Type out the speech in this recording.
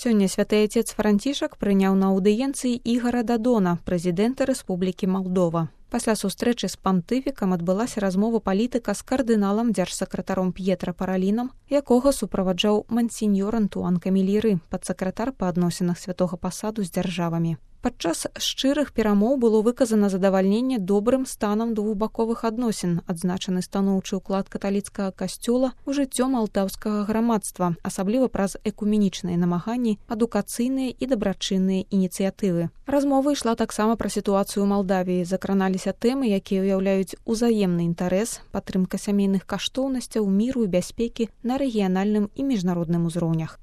Сёння святы отец Францішак прыняў на аўдыенцыі Ігара Дадона, прэзідэнта Рэспублікі Малдова. Пасля сустрэчы з пантыфікам адбылася размова палітыка з кардыналам дзяржсакратаром П'етра Паралінам, якога суправаджаў мансіньёр Антуан Каміліры, падсакратар па адносінах святога пасаду з дзяржавамі. Падчас шчырых перамоў было выказана задавальненне добрым станам двухбаковых адносін, адзначаны станоўчы ўклад каталіцкага касцёла ў жыццё малтаўскага грамадства, асабліва праз экуменічныя намаганні, адукацыйныя і дабрачынныя ініцыятывы. Размова ішла таксама пра сітуацыю ў Малдавіі, закраналіся тэмы, якія ўяўляюць узаемны інтарэс, падтрымка сямейных каштоўнасцяў, міру і бяспекі на рэгіянальным і міжнародным узроўнях.